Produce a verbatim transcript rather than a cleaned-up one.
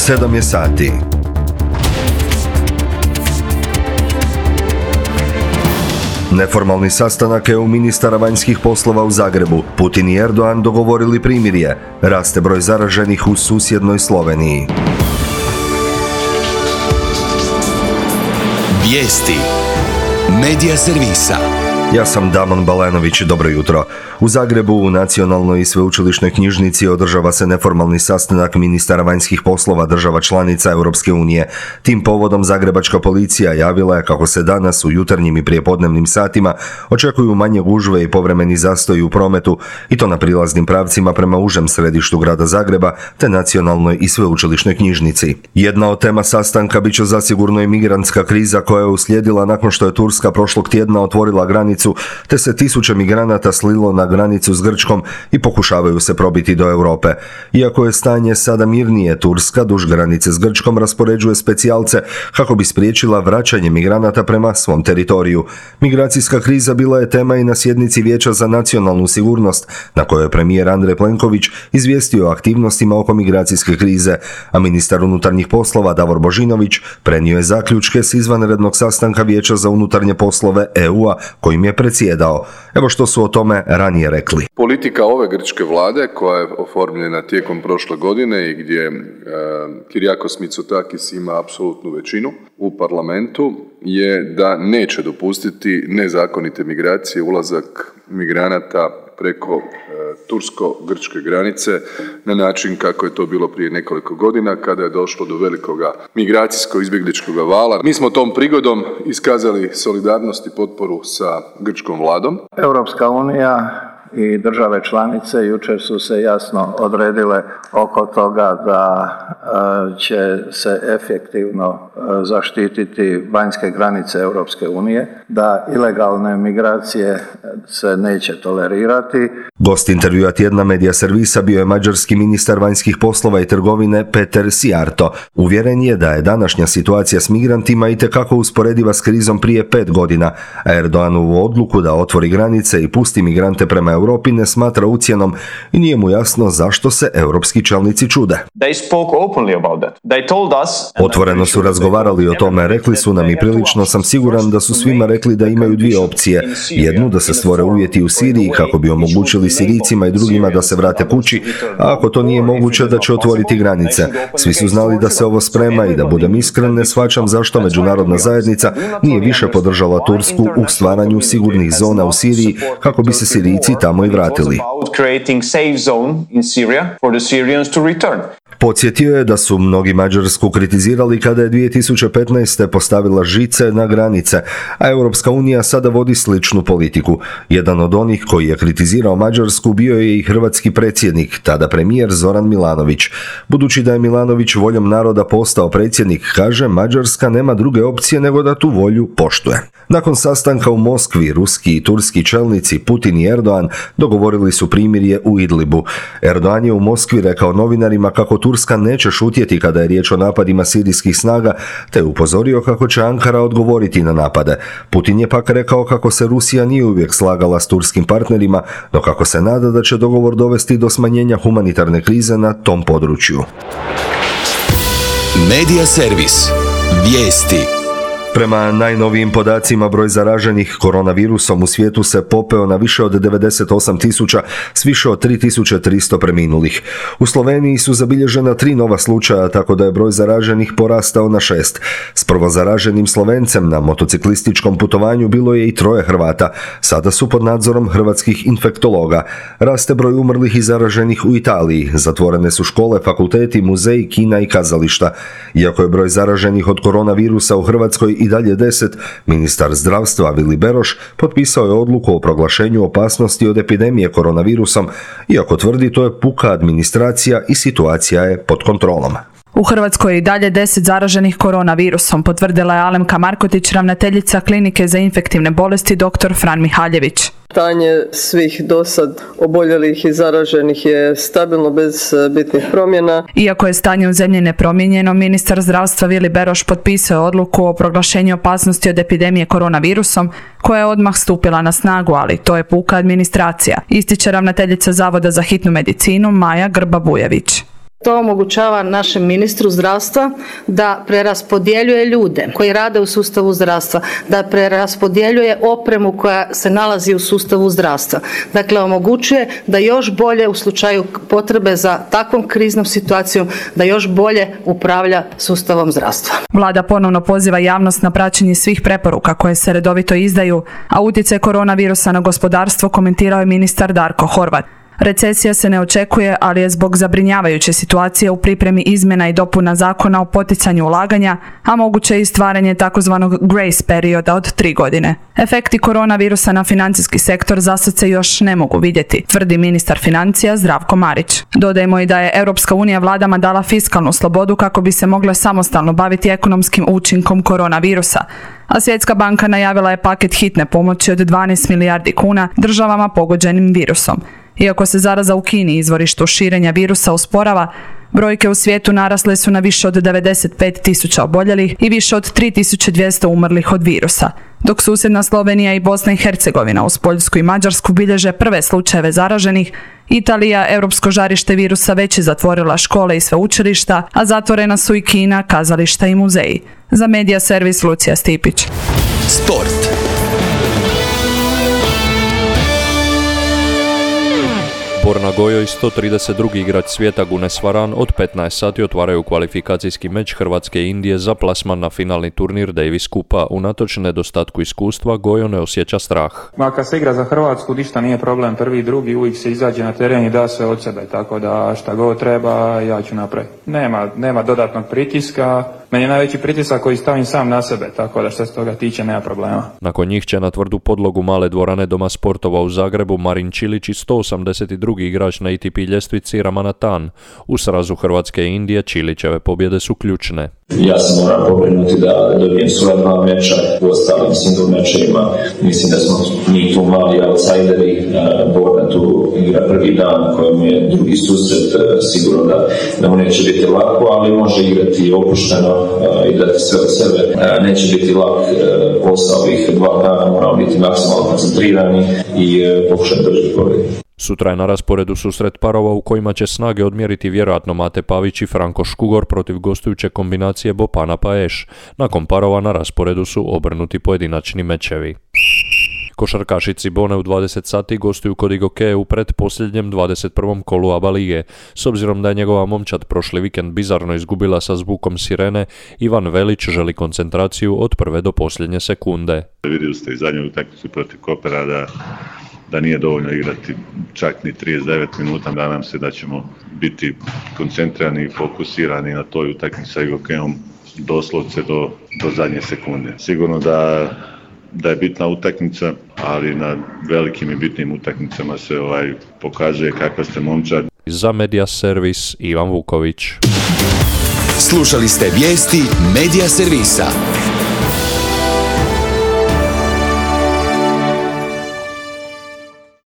sedam je sati. Neformalni sastanak E U ministara vanjskih poslova u Zagrebu. Putin i Erdogan dogovorili primirje. Raste broj zaraženih u susjednoj Sloveniji. Vijesti Medija servisa. Ja sam Damon Balenović, dobro jutro. U Zagrebu u Nacionalnoj i sveučilišnoj knjižnici održava se neformalni sastanak ministara vanjskih poslova država članica Europske unije. Tim povodom zagrebačka policija javila je kako se danas u jutarnjim i prijepodnevnim satima očekuju manje gužve i povremeni zastoji u prometu, i to na prilaznim pravcima prema užem središtu grada Zagreba te Nacionalnoj i sveučilišnoj knjižnici. Jedna od tema sastanka bit će zasigurno i migrantska kriza koja je uslijedila nakon što je Turska prošlog tjedna otvorila granicu te se tisuće migranata slilo na granicu s Grčkom i pokušavaju se probiti do Europe. Iako je stanje sada mirnije, Turska duž granice s Grčkom raspoređuje specijalce kako bi spriječila vraćanje migranata prema svom teritoriju. Migracijska kriza bila je tema i na sjednici Vijeća za nacionalnu sigurnost, na kojoj je premijer Andrej Plenković izvijestio o aktivnostima oko migracijske krize, a ministar unutarnjih poslova Davor Božinović prenio je zaključke s izvanrednog sastanka Vijeća za unutarnje poslove E U-a kojim je predsjedao. Evo što su o tome ranije rekli. Politika ove grčke vlade, koja je oformljena tijekom prošle godine i gdje e, Kyriakos Mitsotakis ima apsolutnu većinu u parlamentu, je da neće dopustiti nezakonite migracije, ulazak migranata preko e, tursko-grčke granice na način kako je to bilo prije nekoliko godina kada je došlo do velikoga migracijsko-izbjegličkog vala. Mi smo tom prigodom iskazali solidarnost i potporu sa grčkom vladom. Europska unija i države članice jučer su se jasno odredile oko toga da e, će se efektivno e, zaštititi vanjske granice Europske unije, da ilegalne migracije se neće tolerirati. Gost intervjua tjedna Medija servisa bio je mađarski ministar vanjskih poslova i trgovine Peter Sijarto. Uvjeren je da je današnja situacija s migrantima itekako usporediva s krizom prije pet godina, a Erdoganovu odluku da otvori granice i pusti migrante prema Europi ne smatra ucjenom i nije mu jasno zašto se europski čelnici čude. Otvoreno su razgovarali o tome, rekli su nam i prilično sam siguran da su svima rekli da imaju dvije opcije. Jednu, da se stvore uvjeti u Siriji kako bi omogućili Sirijcima i drugima da se vrate kući, a ako to nije moguće da će otvoriti granice. Svi su znali da se ovo sprema i da budem iskren ne shvaćam zašto međunarodna zajednica nije više podržala Tursku u stvaranju sigurnih zona u Siriji kako bi se Sirijci tamo i vratili. Podsjetio je da su mnogi Mađarsku kritizirali kada je dvije tisuće petnaeste. postavila žice na granice, a Europska unija sada vodi sličnu politiku. Jedan od onih koji je kritizirao Mađarsku bio je i hrvatski predsjednik, tada premijer Zoran Milanović. Budući da je Milanović voljom naroda postao predsjednik, kaže, Mađarska nema druge opcije nego da tu volju poštuje. Nakon sastanka u Moskvi, ruski i turski čelnici Putin i Erdogan dogovorili su primirje u Idlibu. Erdogan je u Moskvi rekao novinarima kako Turska neće šutjeti kada je riječ o napadima sirijskih snaga, te upozorio kako će Ankara odgovoriti na napade. Putin je pak rekao kako se Rusija nije uvijek slagala s turskim partnerima, no kako se nada da će dogovor dovesti do smanjenja humanitarne krize na tom području. Medija servis. Vijesti. Prema najnovijim podacima, broj zaraženih koronavirusom u svijetu se popeo na više od devedeset osam tisuća s više od tri tisuće tristo preminulih. U Sloveniji su zabilježena tri nova slučaja, tako da je broj zaraženih porastao na šest. S prvo zaraženim Slovencem na motociklističkom putovanju bilo je i troje Hrvata. Sada su pod nadzorom hrvatskih infektologa. Raste broj umrlih i zaraženih u Italiji. Zatvorene su škole, fakulteti, muzeji, kina i kazališta. Iako je broj zaraženih od koronavirusa u Hrvatskoj i dalje deset, ministar zdravstva Vili Beroš potpisao je odluku o proglašenju opasnosti od epidemije koronavirusom, iako tvrdi to je puka administracija i situacija je pod kontrolom. U Hrvatskoj je i dalje deset zaraženih koronavirusom, potvrdila je Alemka Markotić, ravnateljica Klinike za infektivne bolesti dr. Fran Mihaljević. Stanje svih dosad oboljelih i zaraženih je stabilno bez bitnih promjena. Iako je stanje u zemlji nepromijenjeno, ministar zdravstva Vili Beroš potpisao je odluku o proglašenju opasnosti od epidemije koronavirusom, koja je odmah stupila na snagu, ali to je puka administracija, ističe ravnateljica Zavoda za hitnu medicinu Maja Grba-Bujević. To omogućava našem ministru zdravstva da preraspodjeljuje ljude koji rade u sustavu zdravstva, da preraspodjeljuje opremu koja se nalazi u sustavu zdravstva. Dakle, omogućuje da još bolje u slučaju potrebe za takvom kriznom situacijom, da još bolje upravlja sustavom zdravstva. Vlada ponovno poziva javnost na praćenje svih preporuka koje se redovito izdaju, a utjecaj koronavirusa na gospodarstvo komentirao je ministar Darko Horvat. Recesija se ne očekuje, ali je zbog zabrinjavajuće situacije u pripremi izmjena i dopuna zakona o poticanju ulaganja, a moguće i stvaranje takozvanog grace perioda od tri godine. Efekti koronavirusa na financijski sektor zasad se još ne mogu vidjeti, tvrdi ministar financija Zdravko Marić. Dodajmo i da je Europska unija vladama dala fiskalnu slobodu kako bi se mogle samostalno baviti ekonomskim učinkom koronavirusa, a Svjetska banka najavila je paket hitne pomoći od dvanaest milijardi kuna državama pogođenim virusom. Iako se zaraza u Kini, izvorištu širenja virusa, usporava, brojke u svijetu narasle su na više od devedeset pet tisuća oboljelih i više od tri tisuće dvjesto umrlih od virusa, dok susjedna Slovenija i Bosna i Hercegovina uz Poljsku i Mađarsku bilježe prve slučajeve zaraženih. Italija, europsko žarište virusa, već je zatvorila škole i sveučilišta, a zatvorena su i kina, kazališta i muzeji. Za Medija servis Lucija Stipić. Sport. Borna Gojoj, sto trideset drugi igrač svijeta Gunes Varan od petnaest sati otvaraju kvalifikacijski meč Hrvatske i Indije za plasman na finalni turnir Davis Kupa. Unatoč nedostatku iskustva, Gojo ne osjeća strah. Ma kad se igra za Hrvatsku, ništa nije problem, prvi i drugi, uvijek se izađe na teren i da sve od sebe, tako da šta god treba, ja ću napraviti. Nema, nema dodatnog pritiska, meni je najveći pritisak koji stavim sam na sebe, tako da što se toga tiče nema problema. Nakon njih će na tvrdu podlogu male dvorane Doma sportova u Zagrebu Marin Čilić i sto osamdeset drugi igrač na A T P ljestvici Ramanathan. U srazu Hrvatske i Indije Čilićeve pobjede su ključne. Ja se moram pobrinuti da dobijem svoja dva meča u ostalim single mečevima. Mislim da smo mi tu mali outsideri. Borna tu igra prvi dan kojem je drugi susret. Sigurno da, da mu neće biti lako, ali može igrati opušteno i dati sve od sebe. Neće biti lak posao ovih dva dana, moramo biti maksimalno koncentrirani i pokušati držati pobjedu. Sutra je na rasporedu susret parova u kojima će snage odmjeriti vjerojatno Mate Pavić i Franko Škugor protiv gostujuće kombinacije Bopana Paeš. Nakon parova na rasporedu su obrnuti pojedinačni mečevi. Košarkaši Cibone u dvadeset sati gostuju kod Igoke u pretposljednjem dvadeset prvom kolu A B A lige. S obzirom da je njegova momčad prošli vikend bizarno izgubila sa zvukom sirene, Ivan Velić želi koncentraciju od prve do posljednje sekunde. Vidjeli ste i zadnju utakmicu protiv Kopera da da nije dovoljno igrati čak ni trideset devet minuta. Nadam se da ćemo biti koncentrirani i fokusirani na toj utakmici sa Igokeom doslovce do, do zadnje sekunde. Sigurno da, da je bitna utakmica, ali na velikim i bitnim utakmicama se ovaj pokazuje kakva ste momčad. Za Medija servis Ivan Vuković. Slušali ste vijesti Medija servisa.